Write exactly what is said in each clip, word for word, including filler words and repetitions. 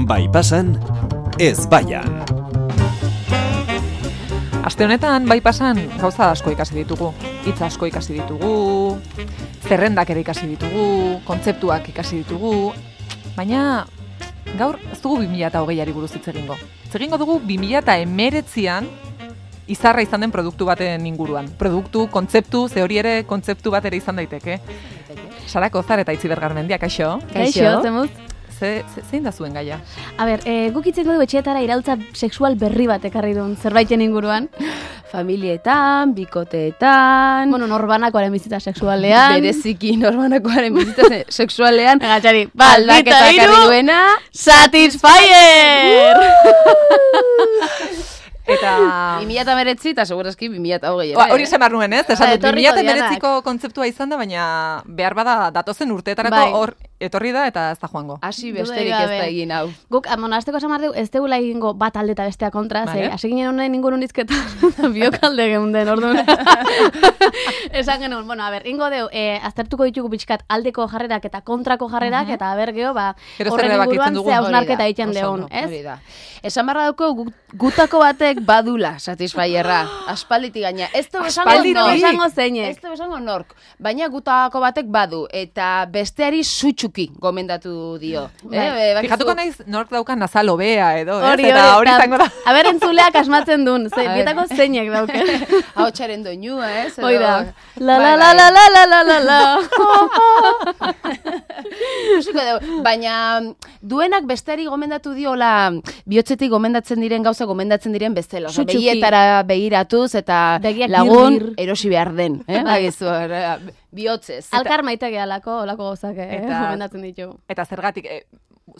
Bai pasan, ez baian. Aste honetan, bai pasan, gauza asko ikasi ditugu. Hitz asko ikasi ditugu, zerrendak ere ikasi ditugu, kontzeptuak ikasi ditugu, baina gaur ez dugu bi mila hogeiari buruz hitz egingo. Hitz egingo dugu bi mila hemeretzian izarra izan den produktu baten inguruan. Produktu, kontzeptu, ze hori ere kontzeptu bat ere izan daiteke. Sara Kozar eta Itziber Garmendia, kaixo? Kaixo, zemuz? Ze, ze, zein da zuen gaia? A ber, e, guk itzeko dugu etxeetara iraultza sexual berri bat ekarri duen zerbaiten inguruan. Familietan, bikoteetan... Bueno, norbanakoaren bizitza sexualean. Bereziki norbanakoaren bizitza sexualean. Agatxari, baldaketa ekarri duena... Satisfyer! Eta... bi mila hemeretzi eta segurazki bi mila hogei ere. Ba, hori esan behar nuen, ez? Esan dut, bi mila etorriko hemeretziko kontzeptua izan da, baina behar bada datozen urteetarako Bai. hor etorri da eta ez da joango. Hasi besterik ez da egin hau. Guk, bueno, azteko esan behar dugu, ez degula egingo bat alde eta bestea kontra, Vale. ze, hasi ginen honen ingurun izketa, biok alde geunden, orduan. Esan genuen, bueno, a ber, ingo deu, eh, aztertuko ditugu pixkat aldeko jarrerak eta kontrako jarrerak, eta a ber, geho, ba, Gero zer horren erabakitzen inguruan dugun, ze hori hausnarketa da, egiten oso deun, ondo, ez? Hori da. Esan barra dauko gu- gutako batek badula Satisfyerra, aspalditik gaina. Ez du esango Aspalditik? nork. Esango zeinek. Ez du esango nork, baina gutako batek badu, eta besteari sutsuki gomendatu dio. Bai. Eh, bakizu- Fijatuko naiz nork daukan nazal hobea edo, ez? Hori, Eta hori eta- izango da. A ber, entzuleak asmatzen duen, ze, A ber. bietako zeinek dauke. Ahotsaren doinua, ez? edo- Hoi da. La Bai, la la bai. la la la la la la. Ikusiko dugu, baina duenak besteari gomendatu diola bihotzetik gomendatzen diren gauza gomendatzen diren bezala. Osa, Sutsuki. begietara begiratuz eta Begiak lagun gir, gir. erosi behar den. Eh? Bagizu, eh, bihotzez. Alkar maite gehalako, olako gauzak, eh, Eta- gomendatzen ditugu. Eta zergatik, eh,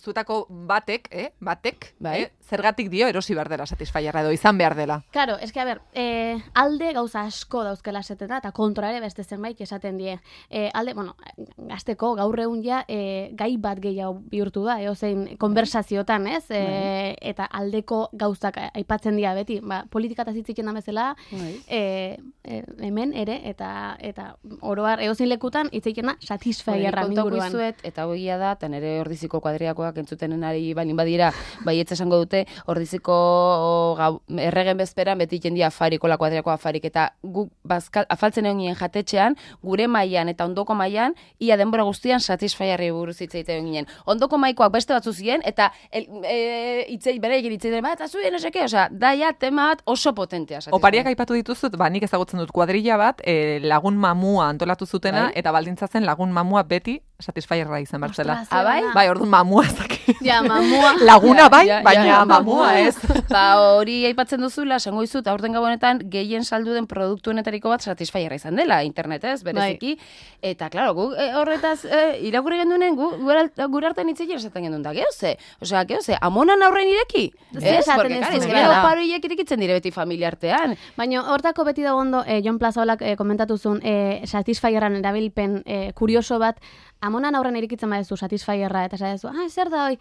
zuetako batek, eh, batek, Bai. eh, zergatik dio erosi behar dela Satisfyerra edo izan behar dela. Claro, eske, a ber, eh, alde gauza asko dauzkela esaten da, eta kontra ere beste zenbait esaten die. Eh, alde, bueno, gazteko gaur egun ja eh, gai bat gehiago bihurtu da, eh, ozein konversaziotan, ez? Eh, eta aldeko gauzak aipatzen dira beti, ba, politikataz hitz egiten da bezala, Bai. eh, eh, hemen ere, eta eta oroar edozein lekutan hitz egiten da Satisfyerra Kontako inguruan. izuet, eta hogia da, eta nire ordiziko kuadriakoak entzutenen ari balin badira, baietz esango dute, ordiziko gau, erregen bezperan beti jendia afariko, la kuadriako afarik, eta guk bazkal, afaltzen egon ginen jatetxean, gure mailan eta ondoko mailan, ia denbora guztian Satisfyerri buruz hitz egiten ginen. Ondoko maikoak beste batzu ziren, eta el, e, itzei, bere egin hitz egiten, bat, eta zuen, eseke, osea, daia tema bat oso potentea. Satisfyer. Opariak aipatu dituzut, ba, nik ezagutzen dut kuadrilla bat, eh, lagun mamua antolatu zutena, Bai. eta baldintzatzen lagun mamua beti Satisfyerra izan behar zela. Ostras, Ah, bai? zera. Bai, orduan mamua ezak. Ja, mamua. Laguna bai, Ja, ja, baina ja, mamua ez. Ba, hori aipatzen duzula, esango dizut, aurten gabonetan gehien saldu den produktuenetariko bat Satisfyerra izan dela, internetez, bereziki. Eta, klaro, gu e, horretaz e, irakurri gendunen, gu gure gure artean hitz egiten esaten gendun da, gehoze? Osea, gehoze, amonan aurren ireki? Zer esaten Porque, ez claro, du, ez bai. gero paroiek irekitzen dire beti familia artean. Baina hortako beti dago ondo, eh, Jon Plazaolak eh, komentatu zuen eh, Satisfyerran erabilpen eh, kurioso bat, amonan aurren irikitzen badezu Satisfyerra, eta esatezu, ah, zer da hoi?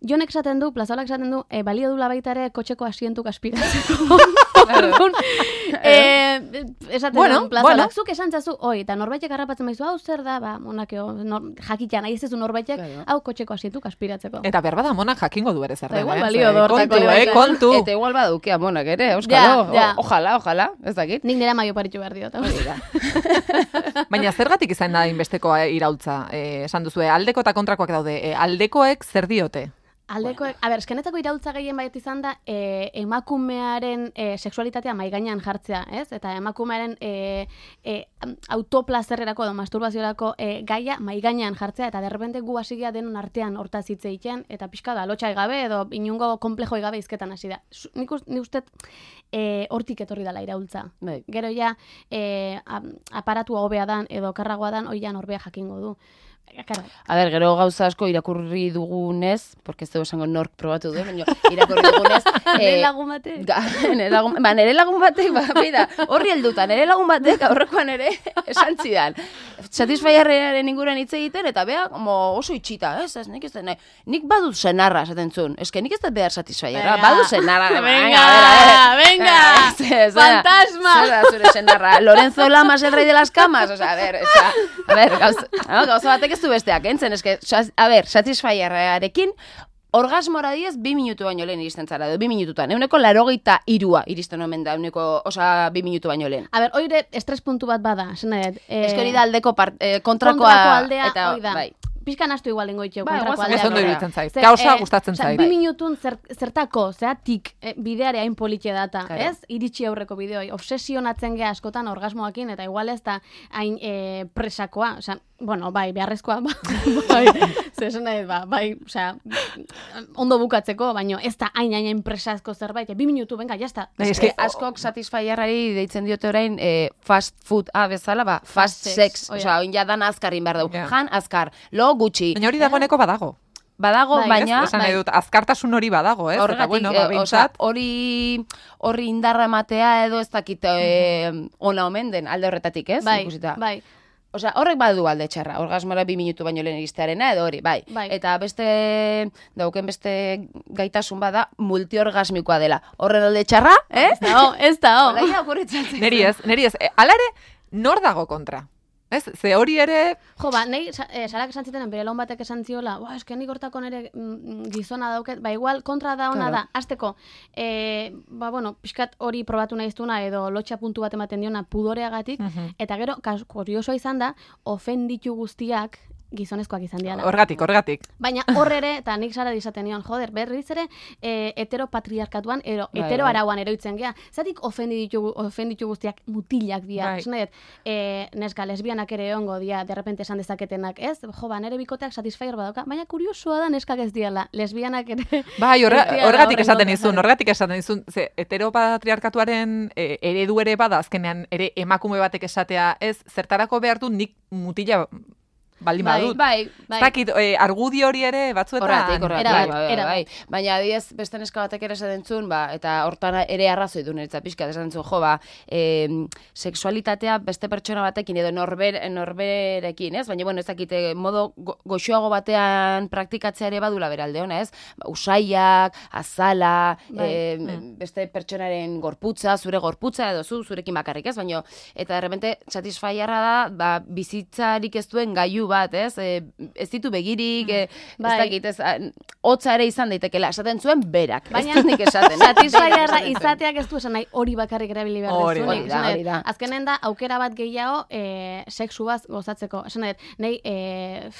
Jonek esaten du, Plazaolak esaten du, eh, balio dula baita ere kotxeko asientuk aspiratzeko. Orduan, eh, esaten Bueno, du, Plazaolak, bueno. zuk esan zazu, oi, eta norbaitek harrapatzen baizu, hau zer da, ba, monakeo, nor, jakitan, nahi ez ez du norbaitek, Claro. hau kotxeko asientuk aspiratzeko. Eta behar bada monak jakingo du ere zer Da den, igual eh? balio Ze, du hortako kontu, ere eh, bai. kontu. Eta igual baduke amonak ere, euskalo. Ja, ja. O- Ojalá, ojalá, ez dakit. Nik nire maio paritxu behar diot. Hori da. Baina zergatik izan da inbesteko eh, iraultza? Eh, esan duzue, aldeko eta kontrakoak daude. Eh, aldekoek zer diote? Aldekoek, a ber, eskenetako iraultza gehien baiet izan da e, emakumearen e, sexualitatea mai gainean jartzea, ez? Eta emakumearen e, e, autoplazerrerako edo masturbaziorako e, gaia mai gainean jartzea, eta derrepente gu hasi gea denon artean hortaz hitz egiten, eta pixka da, lotxai gabe edo inungo komplejoi gabe izketan hasi da. Su- Nik, us- nik uste e, hortik etorri dela iraultza. Bai. Gero ja, e, a- aparatua hobea dan edo karragoa dan, hoi ja norbea jakingo du. Karo, A ber, gero gauza asko irakurri dugunez, porque ez dugu esango nork probatu du, baina irakurri dugunez... nire lagun batek. Ga, nere lagun, ba, nere lagun batek, ba, bida, horri helduta, nere lagun batek aurrekoan ere esan zidan. Satisfyerraren inguruan hitz egiten, eta bea, como oso itxita, ez, ez, nik ez da, nik badut senarra, esaten zuen, eske nik ez da behar Satisfyerra, Venga. badut senarra. Venga, venga, Ez, ez, fantasma. Zer da zure senarra, Lorenzo Lamas el rey de las camas, o sea, a ver, esa, a ver, gauza, no, gauza batek ez du besteak, entzen, eske, a ver, Satisfyerrarekin, orgasmora diez, bi minutu baino lehen iristen zara, edo bi minututan. Euneko larogeita irua iristen omen da, euneko, osa, bi minutu baino lehen. A ber, oire estres puntu bat bada, zen nahi. Eh, Ez hori da aldeko part, eh, kontrakoa, kontrako aldea, eta, hoi da. bai. Pizkan astu igual lengo itxeu, Ba, kontrako guazen, aldea. Ez ondo Zer, iruditzen zait. zer, Gauza eh, gustatzen osea, zait. Bi minutun zer, zertako, zeatik eh, bideare hain politxe data, Claro. ez? Iritsi aurreko bideoi. Obsesionatzen gea askotan orgasmoakin, eta igual ez da hain eh, presakoa, osea, bueno, bai, beharrezkoa, bai, zesan nahi, ba, bai, osea, ondo bukatzeko, baino ez da hain hain hain presazko zerbait, bi minutu, venga, jazta. Bai, Ez eske- que askok satisfierrari deitzen diote orain eh, fast food a bezala, ba, fast, Fast sex, sex, oia. osea, oin ja dan azkarrin behar dugu. Ja. Jan azkar, lo gutxi. Baina hori dagoeneko badago. Badago, Bai, baina... Esan nahi dut, azkartasun hori badago, ez? Eta Horregatik, bueno, eh, ba, osea, behintzat, hori horri indarra ematea edo ez dakit eh, ona omen den alde horretatik, ez? Bai, Ikusita. bai. Osea, horrek badu alde txarra, orgasmora bi minutu baino lehen iristearena edo hori, bai. Bai. Eta beste, dauken beste gaitasun bada, multiorgasmikoa dela. Horren alde txarra, eh? Ez da, ho, ez da, ho. Olaia okurritzen zaizu. neri ez, neri ez. E, Hala ere, nor dago kontra? Ez? Ze hori ere, Jo, ba, nahi, sa- eh, sarak esan zitenen, bere laun batek esan ziola, ba, eske nik hortako nire mm, gizona dauket, ba, igual kontra da ona Claro. da, azteko, eh, ba, bueno, pixkat hori probatu nahi iztuna, edo lotxa puntu bat ematen diona pudoreagatik, Mhm. eta gero, kas, kuriosoa izan da, ofenditu guztiak gizonezkoak izan diala. horgatik, horgatik. Baina hor ere, eta nik Sara izaten nion, joder, berriz ere, e, heteropatriarkatuan, ero, Bai, hetero bai. arauan eroitzen gea. Zatik ofenditu, ofenditu guztiak mutilak dira. Bai. Esan nahi dut, e, neska, lesbianak ere ongo dia, derrepente esan dezaketenak, ez? Jo, ba, nere bikoteak satisfyer badauka, baina kuriosoa da neskak ez diala, lesbianak ere... Bai, horra- ez diala horregatik horren esaten kontra. izun, horregatik esaten izun, ze heteropatriarkatuaren e, eredu ere bada, azkenean ere emakume batek esatea, ez, zertarako behar du nik mutila baldin Bai, badut. Bai, Ez dakit, e, argudio hori ere batzuetan... Horregatik, horregatik, Erabat, bai, bai, erabat. bai. Baina adibidez beste neska batek ere esaten zuen, ba, eta hortan ere arrazoi du niretzat pixka, esaten zuen, jo, ba, e, sexualitatea beste pertsona batekin edo norber, norberekin, ez? Baina, bueno, ez dakite, modo go, goxoago batean praktikatzea ere badula beralde ona, ez? Ba, usaiak, azala, Bai. e, beste pertsonaren gorputza, zure gorputza edo zu, zurekin bakarrik, ez? Baina, eta de repente, satisfierra da, ba, bizitzarik ez duen gailu bat, ez? E, ez ditu begirik, e, Bai. ez dakit, ez, a, hotza ere izan daitekela, esaten zuen berak, Baina- ez dut nik esaten. Berak Satisfyerra esaten zuen. izateak ez du esan nahi hori bakarrik erabili behar Hori dezunik. da, hori da, Esan nahi hori da. dut, azkenen da, aukera bat gehiago e, sexuaz gozatzeko. Esan nahi, dut, nahi e,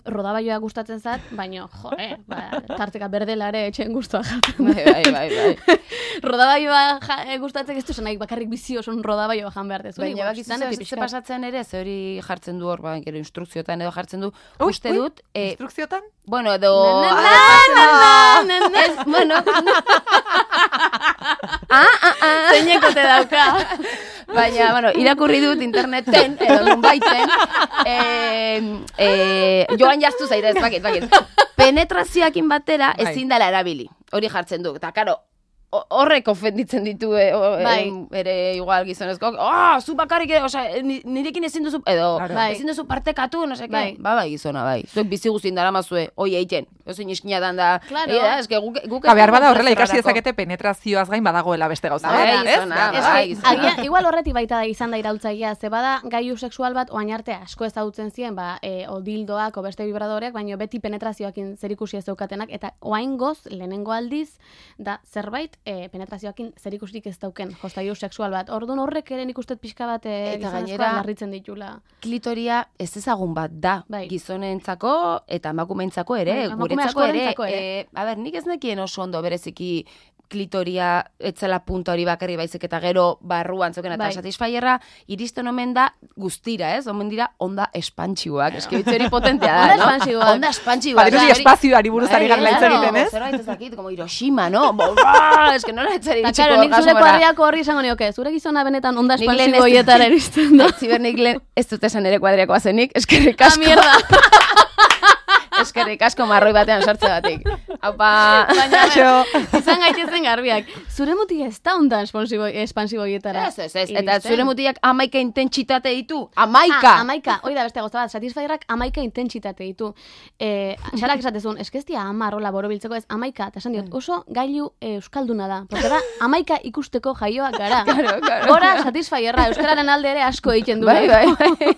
rodabaioa gustatzen zat, baino, jo, eh, ba, tarteka berdela ere etxen guztua jaten. Bai, bai, bai, bai. Rodabaioa ja, e, gustatzen ez du esan nahi, bakarrik bizi oson rodabaioa jan behar dezu. Baina bakizu ze ze pasatzen ere, ze hori jartzen du hor, ba, gero instrukzioetan edo jartzen du, Ui, uste ui, dut, e, Instrukziotan? bueno, edo... Na, na, ah, na, na, na. ez, bueno, ah, ah, ah. Zeinekote dauka. Baina, bueno, irakurri dut interneten, edo nunbaiten, e, e, joan jaztu zaire, ez bakit, bakit. Penetrazioakin batera Bai. ezin dela erabili, hori jartzen du, eta karo, ho- horrek ofenditzen ditu e, o, Bai. em, ere igual gizonezkoak, ah, zu bakarrik, e, osea, ni- nirekin ezin duzu, edo, Claro. Bai. ezin duzu partekatu, no seke, Bai. ba, bai, gizona, bai, zuek bizi guztien dara mazue, hoi egiten, ezin iskina dan da, Claro. egia da, eske guk, guk Ba, behar bada horrela ez ikasi dugu dezakete penetrazioaz gain badagoela beste gauza. Bai, bat, ez? gizona, Behar Ez bada. bai, que, gizona. agian, igual horretik baita da izan da iraultzailea, ze bada gaiu sexual bat oain arte asko ezagutzen ziren, ba, e, o dildoak, o beste vibradoreak, baina beti penetrazioakin zerikusi ez daukatenak, eta oain goz, lehenengo aldiz, da zerbait e, penetrazioakin zerikusirik ez dauken, jostailu sexual bat. Orduan horrek ere nik uste pixka bat e, Eta gizonezkoak gainera- larritzen ditula. Klitoria ez ezagun bat da, Bai. gizonentzako eta emakumeentzako ere, Bai, emakume guretzako ere. askorentzako ere. E, a ber, nik ez nekien oso ondo bereziki klitoria etzela punta hori bakarri baizik eta gero barruan zoken eta Bai. satisfierra iristen omen da guztira, ez? Omen dira onda espantxiuak. Eske hitz hori potentea da, Onda no? espantxiuak. Onda espantxiuak. Badirudi Osea, hori- espazioari buruz ari Bai, garela hitz claro, egiten, ez? Zerbait ez dakit, como Hiroshima, no? Borra, eske nola etzari Eta, itxiko claro, nik zure orgasmora. kuadriako horri izango nioke, zure gizona benetan onda Nik lehen espantzibo ez- hietara iristen da. Ziber nik lehen ez dut esan ere kuadriakoa zenik, eskerrik Ah, asko. mierda. Eskerrik asko marroi batean sartze batik. Haupa. Baina, Kaixo. izan gaitezen garbiak. Zure mutik ez da onda espansibo, espansibo hietara. Ez, ez, ez. Eta iristen. zure mutilak amaika intentsitate ditu. Amaika! Ah, amaika, hoi da beste gauza bat, satisfierrak amaika intentsitate ditu. Eh, Sarak esatezun, eskestia amar, hola, borobiltzeko ez, amaika, eta esan diot, oso gailu eh, euskalduna da. Porque da, amaika ikusteko jaioak gara. Claro, claro. Gora satisfierra, euskararen alde ere asko egiten du. Bai, bai, bai.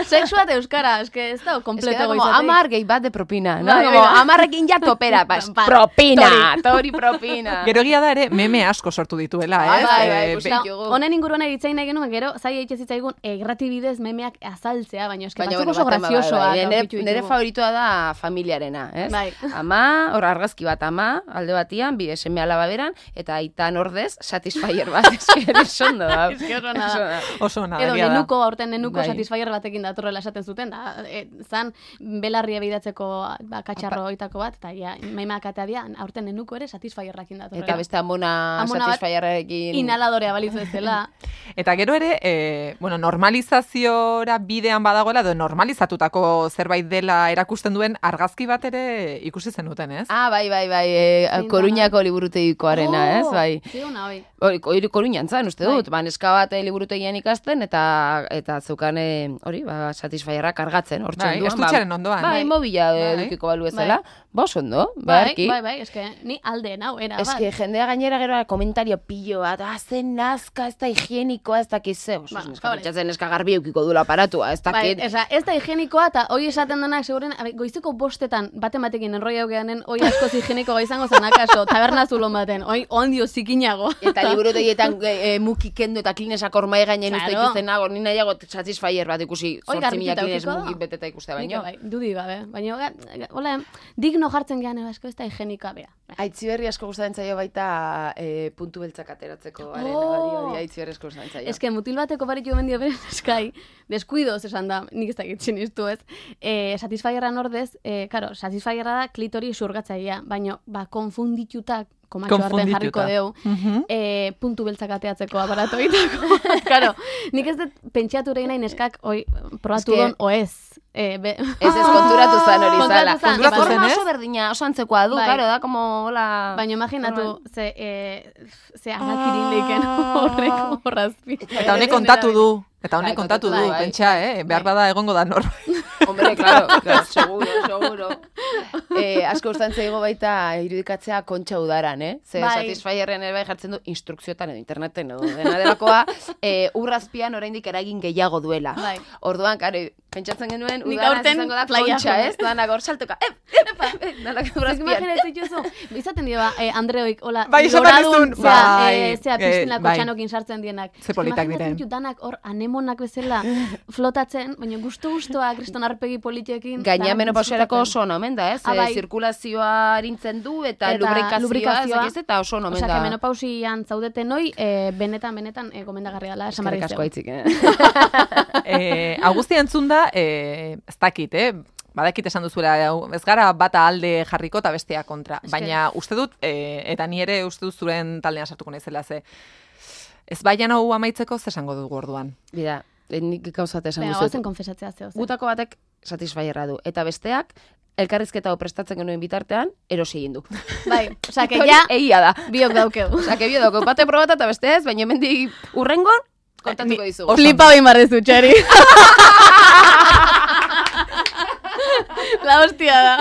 Sexua eta euskara, eske ez da Ez kompleto da como goizatik. amar gehi bat de propina, no? Bai, Como bai. amarrekin ja topera. Ala, bas, propina, tori propina. Gero egia da ere, meme asko sortu dituela, Bai, ez? bai, bai, Eh, ikusi be- ditugu. Honen inguruan egitzein nahi genuen, gero, zai egitze zitzaigun, errati bidez memeak azaltzea, baina eske Baina, batzuk bueno, oso baten bada, graziosoak bai, nire, aurkitu nire ditugu. favoritoa da familiarena, ez? Bai. Ama, hor argazki bat ama, alde batian, bi seme alaba beran, eta aitan ordez, satisfyer bat, eske ere sondo da. Eske oso ona da. Oso ona, Edo egia da. nenuko, aurten nenuko Bai. satisfyer batekin datorrela esaten zuten, da, e, zan belarria bidatzeko ba, katxarro oitako bat, eta ja, maimak atea aurten nenuko ere satisfyerrakin datorrela. Eta beste amona, Amona bat satisfyerrekin. Inhaladorea balizu bezala. Eta gero ere, e, bueno, normalizaziora bidean badagoela, edo normalizatutako zerbait dela erakusten duen argazki bat ere ikusi zenuten, ez? Ah, bai, bai, bai, e, Zein da, Koruñako liburutegikoarena, ez, bai. Zi hona, bai. Hori, hori Koruñan zan, uste dut, Bai. ba, neska bat eh, liburutegian ikasten, eta eta zeukan, eh, hori, ba, satisfyerra kargatzen, hor Bai, txenduan. estutxearen ondoan. Bai, Bai. mobila eh, Bai. edukiko balu ezela, ba, oso ondo, Bai, beharki. bai, bai, eske ni alde nau, era, Ez que jendea gainera gero komentario pilo bat, ah, zen nazka, ez da higienikoa, ez dakiz ze, oso, Ba, neska hori. pentsatzen neska garbi eukiko duela aparatua, ez Bai, dakit. esa, ez da higienikoa, eta hoi esaten denak, seguren, abe, goizeko bostetan, bate batekin enroia geanen, hoi askoz higienikoa izango zen akaso, taberna zulon baten, hoi ondio zikinago. Eta liburutegietan e, e, muki kendu eta klinesak ormai gainen uste Claro. ikusten nago, ni nahiago satisfyer bat ikusi, Hoi zortzi mila garbituta klines edukiko da. muki beteta ikuste Nik baino. bai, dudik gabe, baina, ga- ga- hola, digno jartzen gehan, asko ez da higienikoa, bera. Aitziberri asko gustatzen zaio baita e, puntu beltzak ateratzeko arena, Oh! hori hori Aitziberri asko gustatzen zaio. Ez que mutil bateko baritu mendio beren eskai, deskuidoz esan da, nik ez dakit sinistu ez, e, satisfyerran ordez, e, karo, satisfyerra da klitori xurgatzailea, baina, ba, konfunditutak, komatxo artean jarriko Konfundituta. deu, Mhm. e, puntu beltzak ateatzeko aparato egiteko. Karo, nik ez dut pentsatu egin nahi neskak, oi, probatu Eske- don, o ez. E, be... Ez ez konturatu zan hori Konturatu zala. zan, Konturatu Forma zen, ez? oso berdina, oso antzekoa du, Bai. claro, da como hola. Baina imaginatu, Forma- ze, e, ze agakirin leiken horrek horrazpi. Eta honek kontatu du. Eta honek Bai, kontatu kontatu du, du, bai. pentsa, eh? Behar bada egongo da nor. Hombre, claro, claro, seguro, seguro. Eh, asko gustatzen zaigo baita irudikatzea Kontxa Udaran, eh? Ze Bai. satisfyerren ere bai jartzen du instrukzioetan edo interneten edo dena delakoa, eh, urrazpian oraindik eragin gehiago duela. Bai. Orduan, karo, pentsatzen genuen Nik udaran aurten izango da playa Kontxa, joan. ez? Danak hor saltoka, ep, ep, ep, ep, danak urrazpian. Imaginatzen dituzu, izaten dira, eh, Andreoik, hola, Bai, esaten loradun, dizun, zea, bai, eh, zea eh, piztinako bai. txanokin sartzen dienak. Ze politak Imaginatzen diren. ditu danak hor anemonak bezala flotatzen, baina gustu-gustoa, kriston arpegi politiekin. Gaina danak menopausiarako disfrutatzen. oso ona omen da, ez? Ah, Eh, bai. zirkulazioa arintzen du eta, Eta lubrikazioa, lubrikazioa. ez dakiz, eta oso ona omen Osea, da. que menopausian zaudeten hoi, eh, benetan, benetan, eh, gomendagarria dela, esan barri Eskerrik asko aitzik, eh? eh, Augusti entzun da, eh, ez dakit, eh? Badakit esan duzuela, hau, ez gara bata alde jarriko eta bestea kontra. Eske- Baina uste dut, eh, eta ni ere uste dut zuren taldean sartuko naizela, ze ez baian hau amaitzeko ze esango dugu orduan. Bida, eh, nik gauzat esan Venga, duzut. goazen konfesatzea zeo. zer. Gutako batek satisfyerra du, eta besteak elkarrizketa hau prestatzen genuen bitartean, erosi egin du. Bai, osea, que Hori ja, egia da. biok daukegu. Osea, que bio dauko, bate probata eta beste ez, baina hemendik urrengon, kontatuko Ni- dizugu. Flipa bain barrezu, txari. La hostia da.